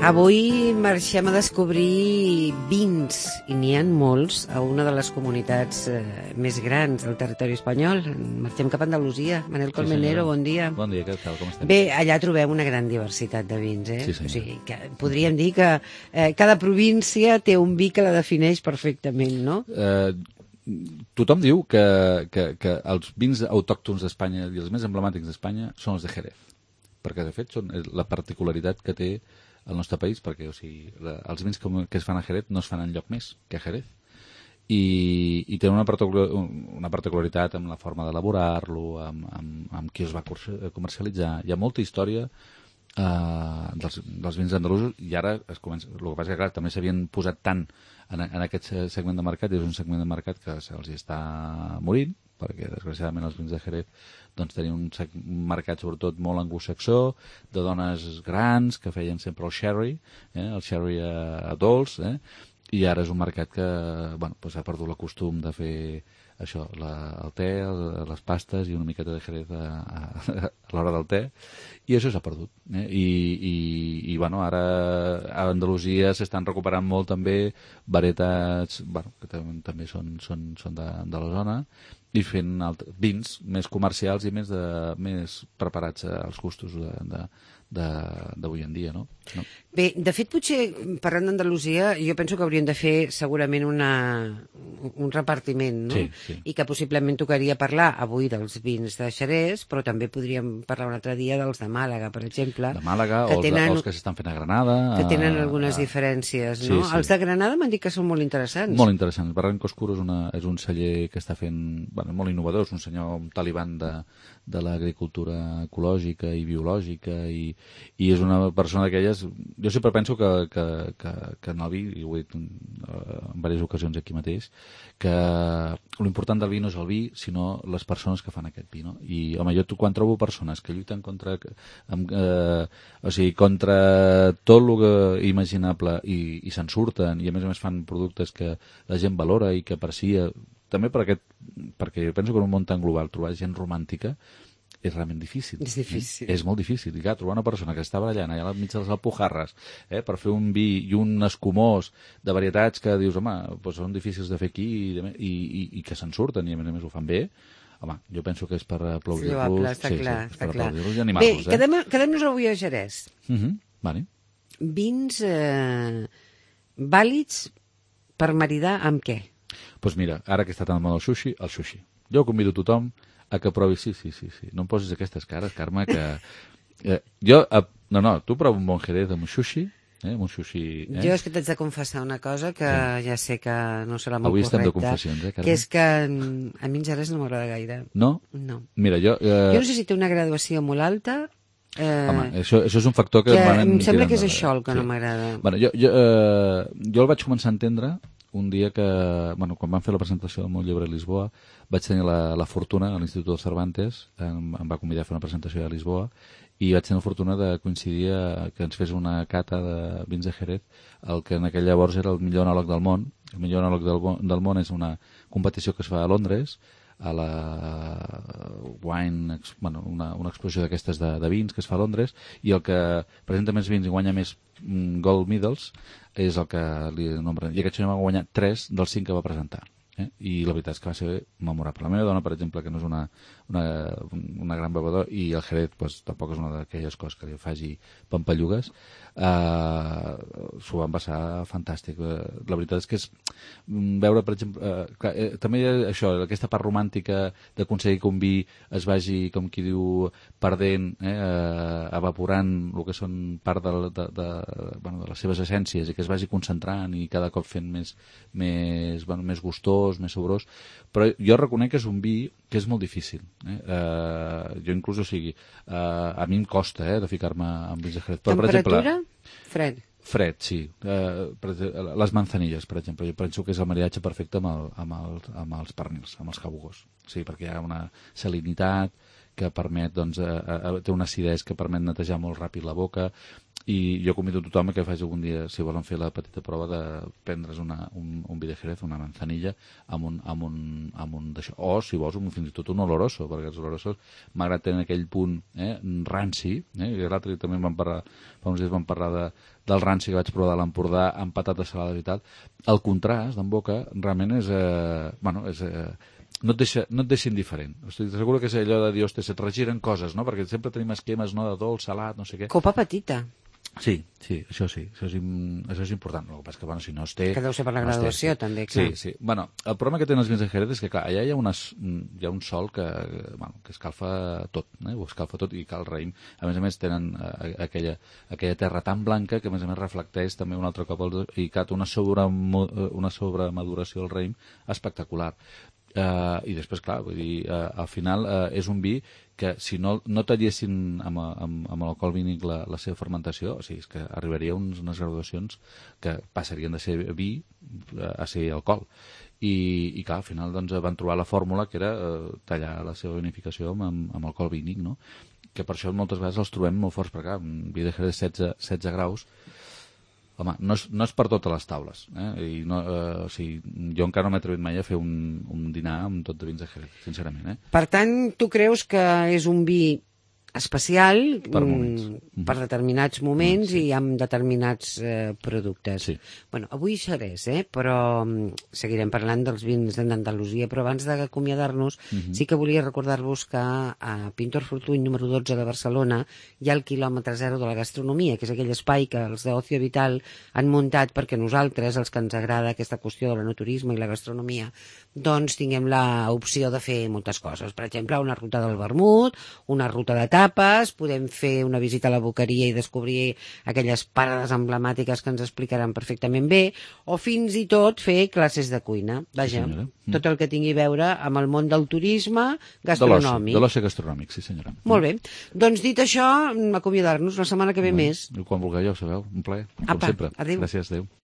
Avui marxem a descobrir vins, i n'hi ha molts, a una de les comunitats més grans del territori espanyol. Marxem cap a Andalusia. Manel Colmenero, bon dia. Bon dia, què tal, com estem? Bé, allà trobem una gran diversitat de vins, Sí, senyor. O sigui, que podríem dir que cada província té un vi que la defineix perfectament, no? Tothom diu que els vins autòctons d'Espanya i els més emblemàtics d'Espanya són els de Jerez, perquè de fet són la particularitat que té el nostre país, perquè o sigui, els vins que es fan a Jerez no es fan enlloc més que a Jerez, i tenen una particularitat amb la forma d'elaborar-lo, amb qui els va comercialitzar. Hi ha molta història dels vins andalusos, i ara es comença. El que passa que, clar, també s'havien posat tant en aquest segment de mercat, i és un segment de mercat que se'ls està morint, perquè desgraciadament els vins de Jerez doncs tenien un mercat sobretot molt anglosaxó, de dones grans que feien sempre el sherry dolç, i ara és un mercat que ha perdut el costum de fer això, el te, les pastes i una miqueta de Jerez a l'hora del te, i això s'ha perdut. I ara a Andalusia s'estan recuperant molt també varietats que també són de la zona, i fent vins més comercials i més preparats als gustos d'avui en dia, no? Bé, de fet, potser, parlant d'Andalusia, jo penso que hauríem de fer segurament un repartiment, no? Sí. I que possiblement tocaria parlar avui dels vins de Xerès, però també podríem parlar un altre dia dels de Màlaga, per exemple. De Màlaga, o els que s'estan fent a Granada. Que tenen algunes diferències, no? Sí. Els de Granada m'han dit que són molt interessants. Molt interessants. Barranco Oscuro és un celler que està fent molt innovador, és un senyor, un talibán de l'agricultura ecològica i biològica, i és una persona d'aquelles. Jo sempre penso que en el vi, i ho he dit en diverses ocasions aquí mateix, que l'important del vi no és el vi, sinó les persones que fan aquest vi, no? I, home, jo quan trobo persones que lluiten contra tot el imaginable i se'n surten, i a més fan productes que la gent valora i que aprecia, també perquè jo penso que en un món tan global trobar gent romàntica és realment difícil. És difícil. És molt difícil. I clar, trobar una persona que està ballant allà al mig de les Alpujarres per fer un vi i un escumós de varietats que dius, home, doncs són difícils de fer aquí i que se'n surten i a més ho fan bé, home, jo penso que és per aplaudir-los. Està clar. Aplaudir-los i animar-los. Bé, quedem-nos avui a Jerez. Vale. Vins vàlids per maridar amb què? Doncs mira, ara que està tan mal el sushi. Jo convido tothom a que provi... Sí. No em posis aquestes cares, Carme, que... tu prova un bon Jerez amb un sushi, Jo és que t'haig de confessar una cosa que ja sé que no serà molt correcta. Avui estem de confessions, Carme? Que és que a mi en Jerez no m'agrada gaire. No? No. Mira, jo no sé si té una graduació molt alta. Home, això és un factor que... Em sembla que és això el que no m'agrada. Bueno, jo el vaig començar a entendre un dia que, quan vam fer la presentació del meu llibre a Lisboa, vaig tenir la fortuna, a l'Institut de Cervantes, em va convidar a fer una presentació a Lisboa, i vaig tenir la fortuna de coincidir que ens fes una cata de vins de Jerez, el que en aquell llavors era el millor enòleg del món. El millor enòleg del món és una competició que es fa a Londres, a la Wine, una exposició d'aquestes de vins que es fa a Londres, i el que presenta més vins i guanya més gold medals és el que li nombren. I aquest senyor va guanyar 3 dels 5 que va presentar. I la veritat és que va ser memorable. La meva dona, per exemple, que no és una gran bevedora, i el Jerez tampoc és una d'aquelles coses que li faci pampallugues, s'ho van passar fantàstic. La veritat és que és veure, per exemple, també això, aquesta part romàntica d'aconseguir que un vi es vagi, com qui diu, perdent, evaporant el que són part de les seves essències, i que es vagi concentrant i cada cop fent més gustós, més saborós, però jo reconec que és un vi que és molt difícil. Jo inclús, a mi em costa de ficar-me amb vins de Jerez. Temperatura? Fred. Fred, sí. Les manzanilles, per exemple, jo penso que és el maridatge perfecte amb els pernils, amb els jabugos. Sí, perquè hi ha una salinitat que permet, té una acidesa que permet netejar molt ràpid la boca. I jo convido a tothom que faci algun dia, si volen fer la petita prova, de prendre's un vi de Jerez, una manzanilla, amb un d'això. O, si vols, fins i tot un oloroso, perquè els olorosos, malgrat tenen aquell punt ranci, i l'altre també fa uns dies vam parlar del ranci que vaig provar de l'Empordà amb patates salades i tal, el contrast en boca realment és... no et deixa indiferent. Estic segur que és allò de dir, ostres, se't regiren coses, no? Perquè sempre tenim esquemes, no?, de dolç, salat, no sé què. Copa petita. Sí, això és important. El que passa que, si no es té... Que deu ser per la graduació, també, clar. Sí. El problema que tenen els vins de Jerez és que, clar, allà hi ha un sol que escalfa tot, ho escalfa tot, i que el raïm, a més, tenen aquella terra tan blanca que, a més, reflecteix també un altre cop i que té una sobremaduració del raïm espectacular. I després, clar, vull dir, al final és un vi que si no tallessin amb l'alcohol vínic la seva fermentació, o sigui, és que arribaria a unes graduacions que passarien de ser vi a ser alcohol. I clar, al final doncs, van trobar la fórmula que era tallar la seva vinificació amb alcohol vínic, no? Que per això moltes vegades els trobem molt forts, perquè un vi de Jerez 16 graus, home, no és per totes les taules, I jo encara no m'he atrevit mai a fer un dinar amb tot de vins de Jerez, sincerament. Per tant, tu creus que és un vi especial per determinats moments i amb determinats productes. Sí. Bueno, avui Xerès, però seguirem parlant dels vins d'Andalusia, però abans d'acomiadar-nos sí que volia recordar-vos que a Pintor Fortuny, número 12 de Barcelona, hi ha el quilòmetre zero de la gastronomia, que és aquell espai que els d'Ocio Vital han muntat perquè nosaltres, els que ens agrada aquesta qüestió de l'enoturisme i la gastronomia, doncs tinguem l'opció de fer moltes coses. Per exemple, una ruta del vermut, una ruta de tapes, podem fer una visita a la boqueria i descobrir aquelles parades emblemàtiques que ens explicaran perfectament bé, o fins i tot fer classes de cuina. Vaja, tot el que tingui a veure amb el món del turisme gastronòmic. De l'oci gastronòmic, sí senyora. Molt bé. Doncs dit això, acomiadar-nos la setmana que ve més. Quan vulgueu, ja ho sabeu. Un plaer, com sempre. Adéu. Gràcies, adéu.